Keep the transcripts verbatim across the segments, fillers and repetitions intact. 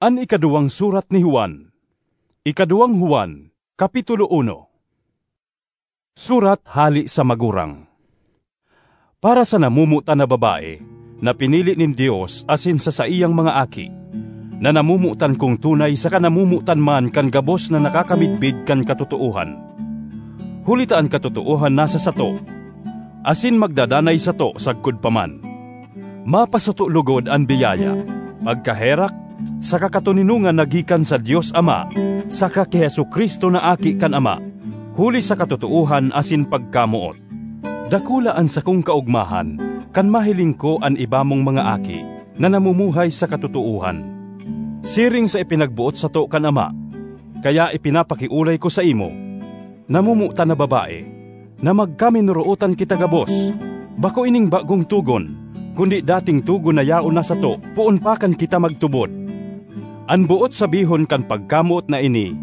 An ikaduwang surat ni Juan. Ikaduwang Juan, Kapitulo uno. Surat hale sa magurang. Para sa namomotan na babae, na pinili nin Dios asin sa saiyang mga aki, na namomotan kong tunay saka namomotan man kan gabos na nakakamidbid kan katotoohan. Huli ta an katotoohan nasa sato, asin magdadanay sato sagkod pa man. Mapasato logod an biyaya, pagkaherak, saka katoninongan na gikan sa Dios Ama saka ki Jesu-Cristo na Aki kan Ama, huli sa katotoohan asin pagkamoot. Dakula an sakong kaogmahan kan mahiling ko an iba mong mga aki na namumuhay sa katotoohan, siring sa ipinagboot sato kan Ama. Kaya ipinapakiolay ko saimo, namomotan na babae, na magkaminorootan kita gabos, bako ining bagong togon, kundi dating togon na yaon na sato poon pa kan kita magtubod. An boot sabihon kan pagkamoot na ini,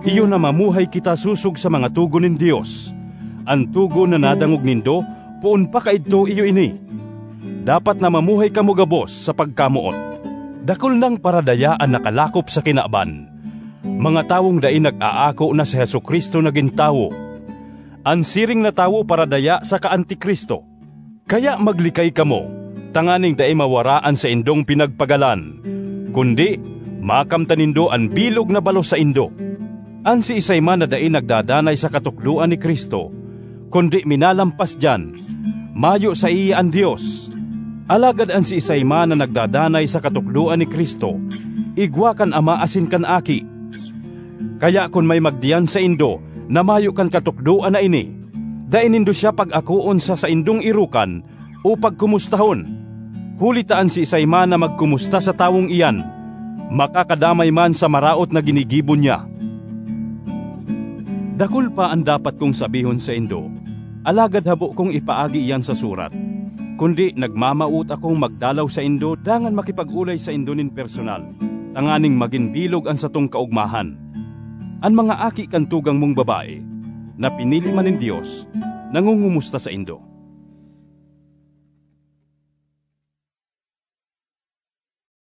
iyo na mamuhay kita sosog sa mga togon nin Dios. An togon na nadangog nindo poon pa kaidto iyo ini. Dapat na mamuhay kamo gabos sa pagkamoot. Dakul nang paradaya an nakalakop sa kinaban, mga tawong dai nag-aako na si Jesu-Cristo nagin tawo. An siring na tawo paradaya saka antikristo. Kaya maglikay kamo, tanganing dai mawara an saindong pinagpagalan, kundi makamtan nindo an bilog na balos saindo. An siisay man na dai nagdadanay sa katukdoan ni Cristo, kundi minalampas diyan, mayo saiya an Dios. Alagad an siisay man na nagdadanay sa katukdoan ni Cristo, igwa kan Ama asin kan Aki. Kaya kun may magdiyan saindo na mayo kan katukdoan na ini, dai nindo siya pag-akoon sa saindong erokan o pagkomustahon. Huli ta an siisay man na magkomusta sa tawong iyan, makakadamay man sa maraot na ginigibo niya. Dakul pa an dapat kong sabihon saindo, alagad habo kong ipaagi iyan sa surat. Kundi nagmamawot akong magdalaw saindo dangan makipag-olay saindo nin personal, tanganing magin bilog an satong kaogmahan. An mga aki kan tugang mong babae, na pinili man nin Dios, nangongomusta saindo.